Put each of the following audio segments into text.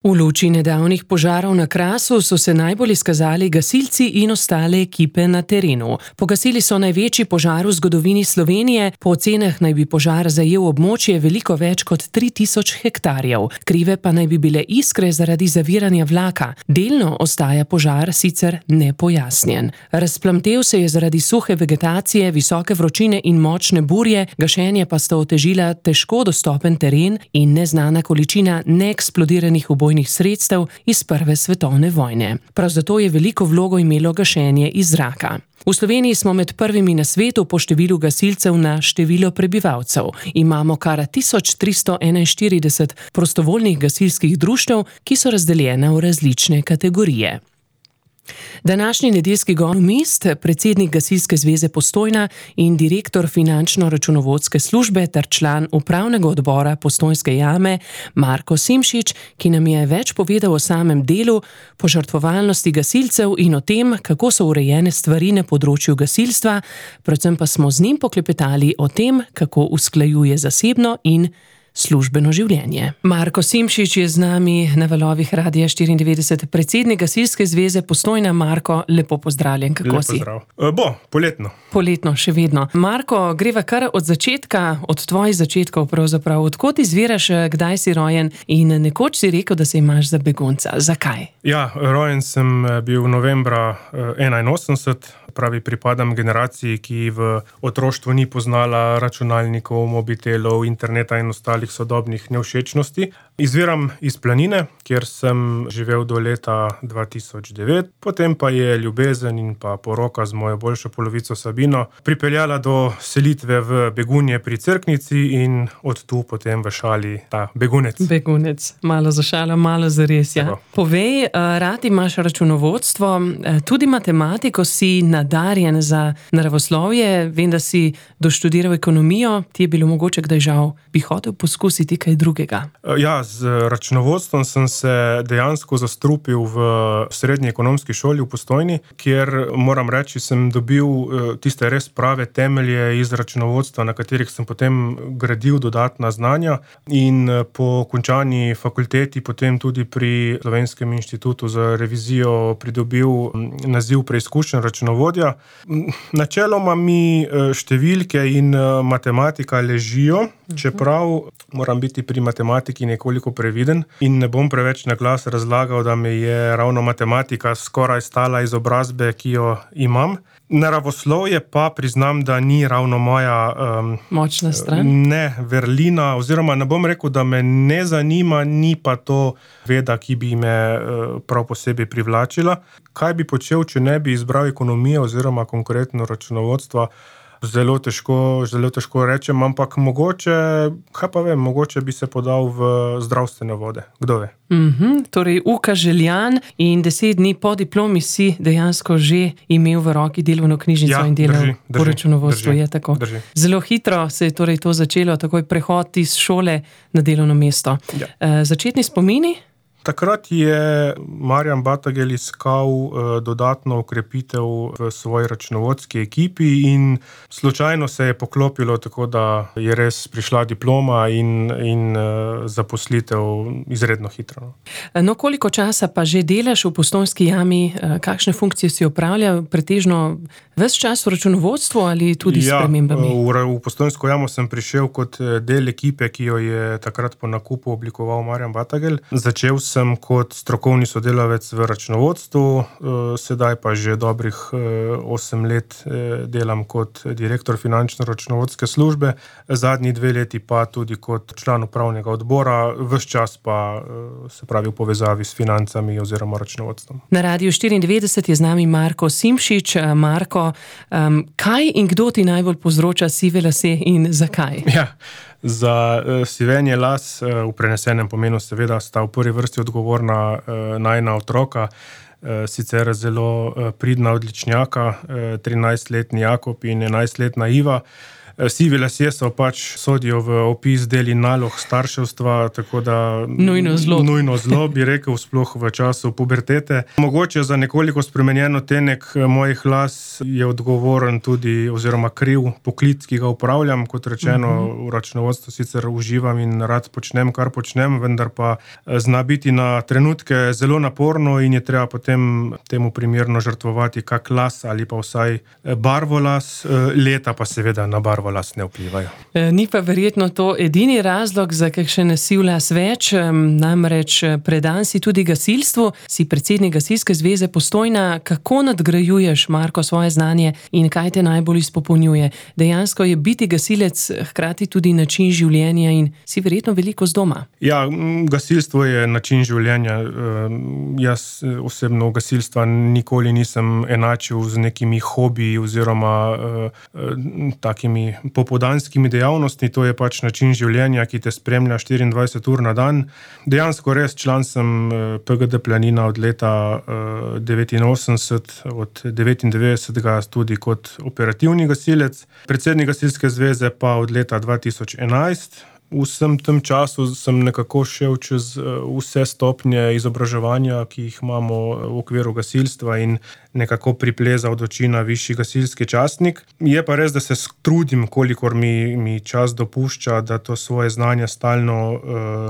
V luči nedavnih požarov na Krasu so se najbolj izkazali gasilci in ostale ekipe na terenu. Pogasili so največji požar v zgodovini Slovenije, po ocenah naj bi požar zajel območje veliko več kot 3000 hektarjev. Krive pa naj bi bile iskre zaradi zaviranja vlaka. Delno ostaja požar sicer nepojasnjen. Razplamtel se je zaradi suhe vegetacije, visoke vročine in močne burje, gašenje pa sta otežila težko dostopen teren in neznana količina neeksplodiranih ubojnih sredstev iz Prve svetovne vojne. Prav zato je veliko vlogo imelo gašenje iz zraka. V Sloveniji smo med prvimi na svetu po številu gasilcev na število prebivalcev. Imamo kar 1341 prostovoljnih gasilskih društev, ki so razdeljena v različne kategorije. Današnji nedeljski ekonomist, predsednik Gasilske zveze Postojna in direktor finančno-računovodske službe ter član upravnega odbora Postojnske jame Marko Simšič, ki nam je več povedal o samem delu, požrtvovalnosti gasilcev in o tem, kako so urejene stvari na področju gasilstva, predvsem pa smo z njim poklepetali o tem, kako usklajuje zasebno in službeno življenje. Marko Simšič je z nami na valovih Radia 94, predsednik Gasilske zveze Postojna. Marko, lepo pozdravljen, kako si? Lep pozdrav. Poletno. Poletno, še vedno. Marko, greva kar od začetka, od tvojih začetkov pravzaprav. Odkot izviraš, kdaj si rojen in nekoč si rekel, da se imaš za begunca. Zakaj? Ja, rojen sem bil novembra 81, pravi pripadam generaciji, ki v otroštvu ni poznala računalnikov, mobitelov, interneta in ostalih sodobnih nevšečnosti. Izviram iz Planine, kjer sem živel do leta 2009, potem pa je ljubezen in pa poroka z mojo boljšo polovico Sabino pripeljala do selitve v Begunje pri Cerknici in od tu potem v šali ta begunec. Begunec, malo za šalo, malo za res, ja. Povej, rad imaš računovodstvo, tudi matematiko, si nadarjen za naravoslovje, vem, da si doštudiral ekonomijo, ti je bilo mogoče kdaj žal, bi hotel poskusiti kaj drugega? Ja, z računovodstvom sem se dejansko zastrupil v srednji ekonomski šoli v Postojni, kjer, moram reči, sem dobil tiste res prave temelje iz računovodstva, na katerih sem potem gradil dodatna znanja in po končani fakulteti potem tudi pri Slovenskem inštitutu za revizijo pridobil naziv preizkušen računovodja. Načeloma mi številke in matematika ležijo, čeprav moram biti pri matematiki nekoliko previden in ne bom preveč na glas razlagal, da me je ravno matematika skoraj stala izobrazbe, ki jo imam. Naravoslovje pa priznam, da ni ravno moja močna stran? Ne, vrlina, oziroma ne bom rekel, da me ne zanima, ni pa to veda, ki bi me prav posebej privlačila. Kaj bi počel, če ne bi izbral ekonomije oziroma konkretno računovodstva? Zelo težko rečem, ampak mogoče, kaj pa vem, mogoče bi se podal v zdravstvene vode. Kdo ve? Torej, Uka Željan in 10 dni po diplomi si dejansko že imel v roki delovno knjižnico in delal po računovodstvu. Je tako. Drži. Zelo hitro se je torej to začelo, takoj prehod iz šole na delovno mesto. Ja. Začetni spomini? Takrat je Marjan Batagel iskal dodatno okrepitev v svoji računovodski ekipi in slučajno se je poklopilo tako, da je res prišla diploma in zaposlitev izredno hitro. No, koliko časa pa že delaš v Postojnski jami? Kakšne funkcije si opravljal? Pretežno ves čas v računovodstvu ali tudi s spremembami? V Postojnsko jamo sem prišel kot del ekipe, ki jo je takrat po nakupu oblikoval Marjan Batagel. Začel sem kot strokovni sodelavec v računovodstvu, sedaj pa že dobrih 8 let delam kot direktor finančno-računovodske službe, zadnji 2 leti pa tudi kot član upravnega odbora, ves čas pa se pravi v povezavi s financami oziroma računovodstvom. Na Radiu 94 je z nami Marko Simšič. Marko, kaj in kdo ti najbolj povzroča sive lase in zakaj? Ja. Za sivenje las v prenesenem pomenu seveda sta v prvi vrsti odgovorna najina otroka, sicer zelo pridna odličnjaka, 13-letni Jakob in 11-letna Iva. Sivi lasje so pač sodijo v opis del in nalog starševstva, tako da nujno zlo bi rekel, sploh v času pubertete. Mogoče za nekoliko spremenjen odtenek mojih las je odgovoren tudi oziroma kriv poklic, ki ga upravljam. Kot rečeno, v računovodstvu sicer uživam in rad počnem, kar počnem, vendar pa zna biti na trenutke zelo naporno in je treba potem temu primerno žrtvovati kak las ali pa vsaj barvo las, leta pa seveda na barvo las ne vplivajo. Ni pa verjetno to edini razlog za kakšen siv las več, namreč predan si tudi gasilstvu, si predsednik Gasilske zveze Postojna. Kako nadgrajuješ, Marko, svoje znanje in kaj te najbolj izpopolnjuje? Dejansko je biti gasilec hkrati tudi način življenja in si verjetno veliko z doma. Ja, gasilstvo je način življenja. Jaz osebno gasilstva nikoli nisem enačil z nekimi hobiji oziroma takimi popoldanskimi dejavnostmi. To je pač način življenja, ki te spremlja 24 ur na dan. Dejansko res član sem PGD Planina od leta 89, od 99 tudi kot operativni gasilec, predsednik Gasilske zveze pa od leta 2011. V vsem tem času sem nekako šel čez vse stopnje izobraževanja, ki jih imamo v okviru gasilstva in nekako priplezal do čina višji gasilski častnik. Je pa res, da se trudim, kolikor mi čas dopušča, da to svoje znanje stalno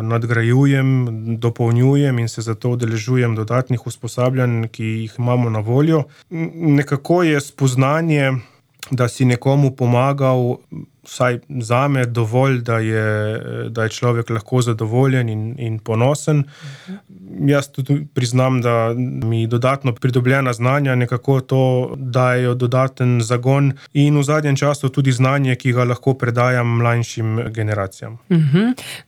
nadgrajujem, dopolnjujem in se zato udeležujem dodatnih usposabljanj, ki jih imamo na voljo. Nekako je spoznanje, da si nekomu pomagal, vsaj zame dovolj, da je človek lahko zadovoljen in ponosen. Jaz tudi priznam, da mi dodatno pridobljena znanja nekako to dajo dodaten zagon in v zadnjem času tudi znanje, ki ga lahko predajam mlajšim generacijam.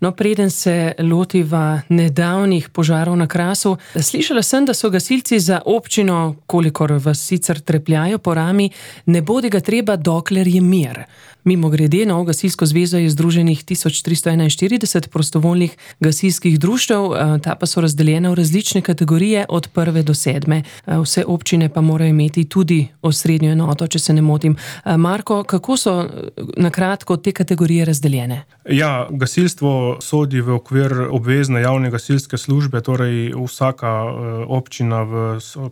No, preden se lotiva nedavnih požarov na Krasu, slišala sem, da so gasilci za občino, kolikor vas sicer trepljajo po rami, ne bodi ga treba, dokler je mir. Mimogrede, na Gasilsko zvezo je združenih 1341 prostovoljnih gasilskih društev, ta pa so razdeljena v različne kategorije od 1. do 7. Vse občine pa morajo imeti tudi osrednjo enoto, če se ne motim. Marko, kako so na kratko te kategorije razdeljene? Ja, gasilstvo sodi v okvir obvezne javne gasilske službe, torej vsaka občina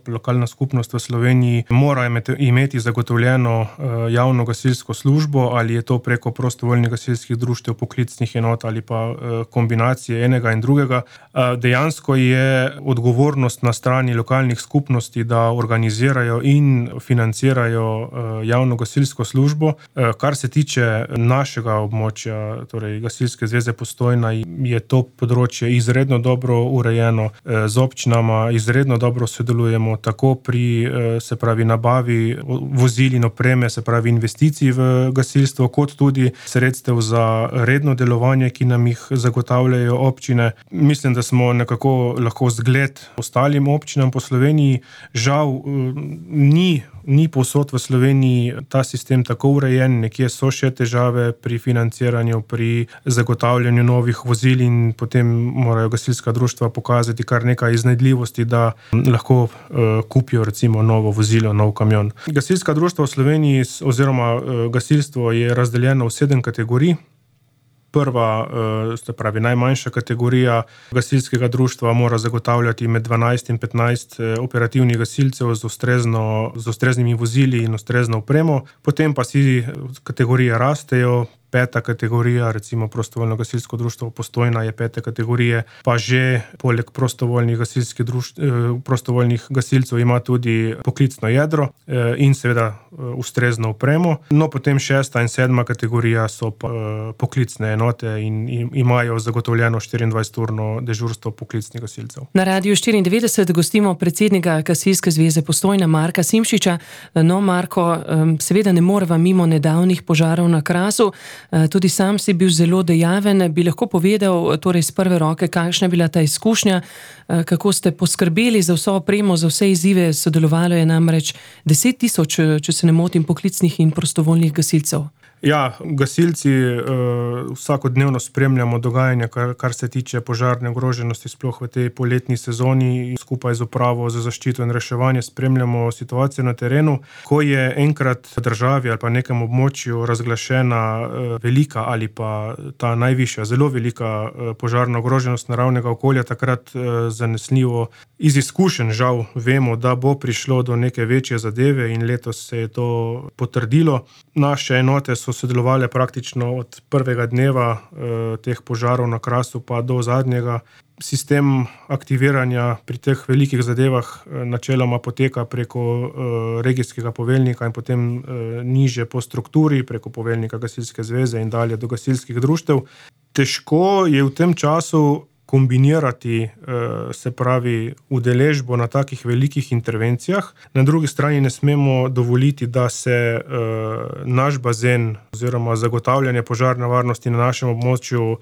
lokalna skupnost v Sloveniji mora imeti zagotovljeno javno gasilsko službo, ali je to preko prostovoljnih gasilskih društev, poklicnih enot ali pa kombinacije enega in drugega. Dejansko je odgovornost na strani lokalnih skupnosti, da organizirajo in financirajo javno gasilsko službo. Kar se tiče našega območja, torej Gasilske zveze Postojna, je to področje izredno dobro urejeno. Z občinama izredno dobro sodelujemo tako pri, se pravi, nabavi vozil in opreme, se pravi investicij v gasilstvo, kot tudi sredstev za redno delovanje, ki nam jih zagotavljajo občine. Mislim, da smo nekako lahko zgled ostalim občinam po Sloveniji. Žal ni povsod v Sloveniji ta sistem tako urejen, nekje so še težave pri financiranju, pri zagotavljanju novih vozil in potem morajo gasilska društva pokazati kar nekaj iznajdljivosti, da lahko kupijo recimo novo vozilo, nov kamion. Gasilska društva v Sloveniji oziroma gasilstvo je razdeljeno v 7 kategorij. Prva, se pravi najmanjša kategorija gasilskega društva mora zagotavljati med 12 in 15 operativnih gasilcev z ustreznimi vozili in ustrezno opremo. Potem pa si kategorije rastejo. 5. kategorija, recimo prostovoljno gasilsko društvo Postojna je 5. kategorije, pa že poleg prostovoljnih gasilcev ima tudi poklicno jedro in seveda ustrezno opremo. No, potem 6. in 7. kategorija so pa poklicne enote in imajo zagotovljeno 24-urno dežurstvo poklicnih gasilcev. Na Radiu 94 gostimo predsednika Gasilske zveze Postojna Marka Simšiča. No, Marko, seveda ne moreva mimo nedavnih požarov na Krasu. Tudi sam si bil zelo dejaven. Bi lahko povedal torej z prve roke, kakšna je bila ta izkušnja, kako ste poskrbeli za vso opremo, za vse izzive? Sodelovalo je namreč 10 000, če se ne motim, poklicnih in prostovoljnih gasilcev. Ja, gasilci vsakodnevno spremljamo dogajanje, kar se tiče požarne ogroženosti, sploh v tej poletni sezoni. Skupaj z upravo za zaščito in reševanje spremljamo situacijo na terenu. Ko je enkrat v državi ali pa nekem območju razglašena velika ali pa ta najvišja, zelo velika požarna ogroženost naravnega okolja, takrat zanesljivo iz izkušenj žal vemo, da bo prišlo do neke večje zadeve in letos se je to potrdilo. Naše enote so sodelovali praktično od prvega dneva teh požarov na Krasu pa do zadnjega. Sistem aktiviranja pri teh velikih zadevah načeloma poteka preko regijskega poveljnika in potem niže po strukturi, preko poveljnika Gasilske zveze in dalje do gasilskih društev. Težko je v tem času kombinirati, se pravi, udeležbo na takih velikih intervencijah. Na drugi strani ne smemo dovoliti, da se naš bazen oziroma zagotavljanje požarne varnosti na našem območju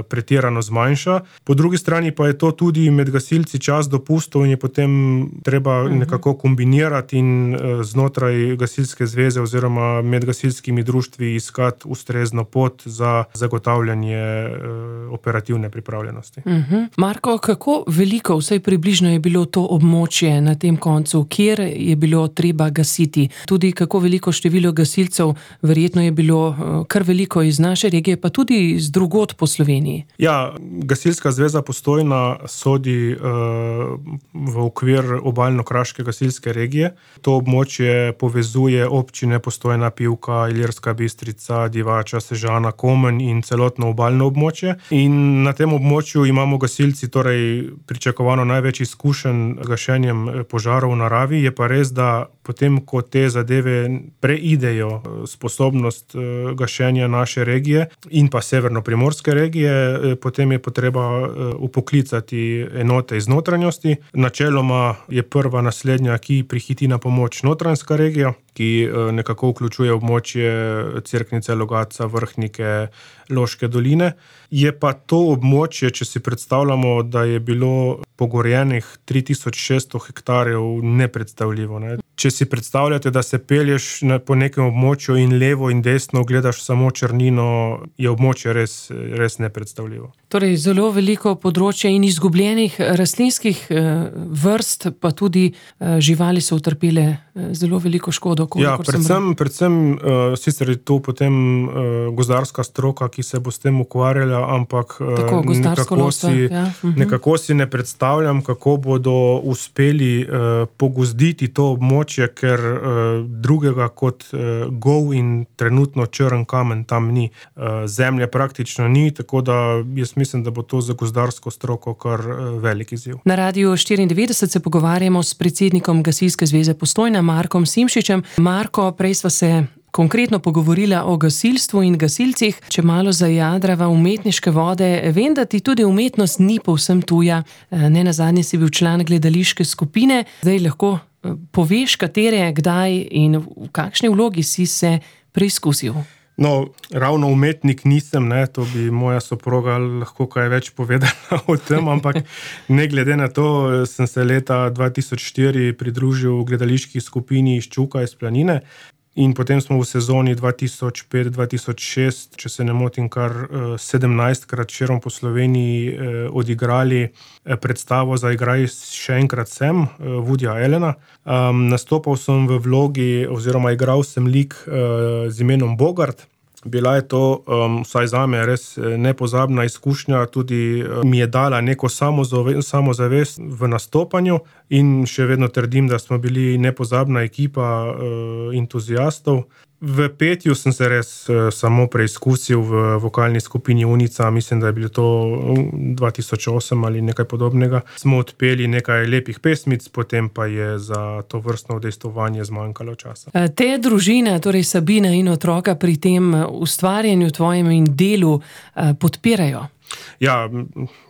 pretirano zmanjša. Po drugi strani pa je to tudi med gasilci čas dopustov in je potem treba nekako kombinirati in znotraj Gasilske zveze oziroma med gasilskimi društvi iskati ustrezno pot za zagotavljanje operativne pripravljenosti. Marko, kako veliko, vsaj približno je bilo to območje na tem koncu, kjer je bilo treba gasiti? Tudi kako veliko število gasilcev, verjetno je bilo kar veliko iz naše regije, pa tudi z drugod po Sloveniji. Ja, Gasilska zveza Postojna sodi v okvir obalno-kraške gasilske regije. To območje povezuje občine Postojna, Pivka, Ilirska Bistrica, Divača, Sežana, Komen in celotno obalno območje. In na tem območju imamo gasilci torej pričakovano največ izkušenj gašenjem požarov v naravi. Je pa res, da potem, ko te zadeve preidejo sposobnost gašenja naše regije in pa severno-primorske regije, potem je potreba upoklicati enote iz notranjosti. Načeloma je prva naslednja, ki prihiti na pomoč notranjska regija, ki nekako vključuje območje Cerknice, Logatca, Vrhnike, Loške doline. Je pa to območje, če si predstavljamo, da je bilo pogorjenih 3600 hektarjev, nepredstavljivo. Ne? Če si predstavljate, da se pelješ po nekem območju in levo in desno gledaš samo črnino, je območje res nepredstavljivo. Torej, zelo veliko področje in izgubljenih rastlinskih vrst, pa tudi živali so utrpele zelo veliko škodo. Ja, predvsem sicer je to potem gozdarska stroka, ki se bo s tem ukvarjala, ampak nekako si ne predstavljam, kako bodo uspeli pogozditi to območje, ker drugega kot gol in trenutno črn kamen tam ni. Zemlje praktično ni, tako da jaz mislim, da bo to za gozdarsko stroko kar velik izziv. Na Radiu 94 se pogovarjamo s predsednikom Gasilske zveze Postojna, Markom Simšičem. Marko, prej sva se konkretno pogovorila o gasilstvu in gasilcih. Če malo zajadrava umetniške vode, vem, da ti tudi umetnost ni povsem tuja. Nenazadnje si bil član gledališke skupine. Zdaj lahko poveš, katere, kdaj in v kakšni vlogi si se preizkusil? No, ravno umetnik nisem, ne, to bi moja soproga lahko kaj več povedala o tem, ampak ne glede na to, sem se leta 2004 pridružil gledališki skupini iz Čuka iz Planine in potem smo v sezoni 2005-2006, če se ne motim, kar 17krat širom po Sloveniji odigrali predstavo Zaigraj še enkrat sem, Woodyja Allena. Nastopal sem v vlogi oziroma igral sem lik z imenom Bogart. Bila je to, vsaj zame, res nepozabna izkušnja, tudi mi je dala neko samozavest v nastopanju in še vedno trdim, da smo bili nepozabna ekipa entuziastov. V petju sem se res samo preizkusil v vokalni skupini Unica, mislim, da je bilo to 2008 ali nekaj podobnega. Smo odpeli nekaj lepih pesmic, potem pa je za to vrstno udejstvovanje zmanjkalo časa. Te družine, torej Sabina in otroka, pri tem ustvarjanju tvojem in delu podpirajo? Ja,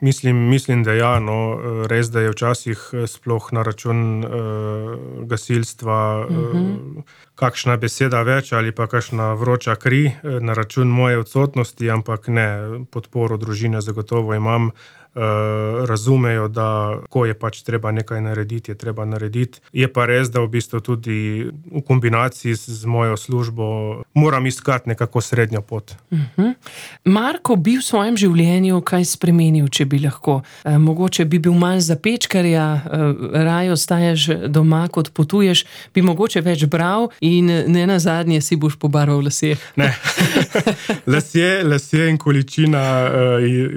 mislim, da ja, no, res, da je včasih sploh na račun gasilstva kakšna beseda več ali pa kakšna vroča kri na račun moje odsotnosti, ampak ne, podporo družine zagotovo imam. razumejo, da ko je pač treba nekaj narediti, je treba narediti. Je pa res, da v bistvu tudi v kombinaciji z mojo službo moram iskati nekako srednjo pot. Marko bi v svojem življenju kaj spremenil, če bi lahko? Mogoče bi bil manj zapečkarja, raje ostajaš doma, kot potuješ, bi mogoče več bral in ne nazadnje si boš pobarval lase. Ne, lasje in količina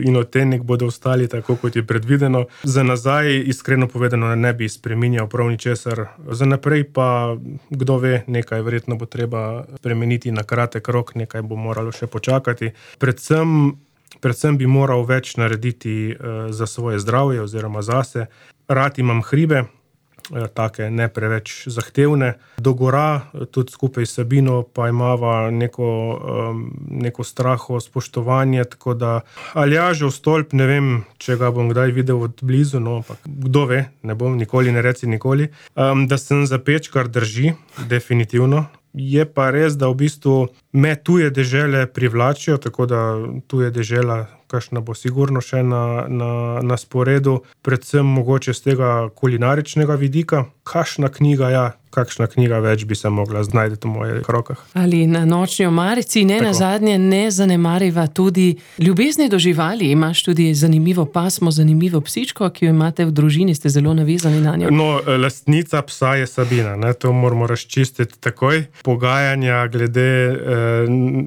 in odtenek bodo ostali tako, kot je predvideno. Za nazaj, iskreno povedano, ne bi spreminjal prav ničesar. Za naprej pa, kdo ve, nekaj verjetno bo treba spremeniti na kratek rok, nekaj bo moralo še počakati. Predvsem bi moral več narediti za svoje zdravje oziroma zase. Rad imam hribe, take ne preveč zahtevne. Do gora, tudi skupaj s Sabino, pa imava neko straho, spoštovanje, tako da Aljažev stolp, ne vem, če ga bom kdaj videl od blizu, no, ampak kdo ve, ne bom, nikoli ne reci nikoli. Da sem zapečkar, drži, definitivno. Je pa res, da v bistvu me tuje dežele privlačijo, tako da tuje dežela, kakšna bo sigurno še na sporedu, predvsem mogoče z tega kulinaričnega vidika. Kakšna knjiga več bi se mogla znajti v mojih rokah. Ali na nočni omarici, nazadnje ne zanemariva tudi ljubezni do živali. Imaš tudi zanimivo pasmo, zanimivo psičko, ki jo imate v družini, ste zelo navezani na njo. No, lastnica psa je Sabina, ne? To moramo razčistiti takoj. Pogajanja glede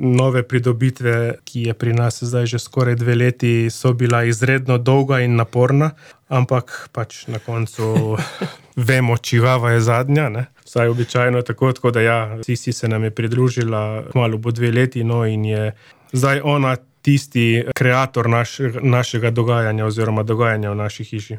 nove pridobitve, ki je pri nas zdaj že skoraj 2 leti, so bila izredno dolga in naporna, ampak pač na koncu vemo, čigava je zadnja, ne? Vsaj običajno tako da ja, Sisi se nam je pridružila, kmalu bo 2 leti, no, in je zdaj ona tisti kreator našega dogajanja oziroma dogajanja v naši hiši.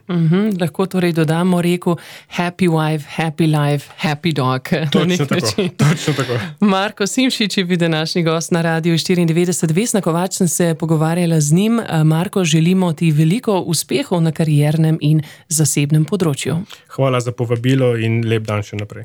Lahko torej dodamo reku happy wife, happy life, happy dog. Točno tako. Marko Simšič je bil današnji gost na Radiu 94. Vesna Kovač, sem se pogovarjala z njim. Marko, želimo ti veliko uspehov na kariernem in zasebnem področju. Hvala za povabilo in lep dan še naprej.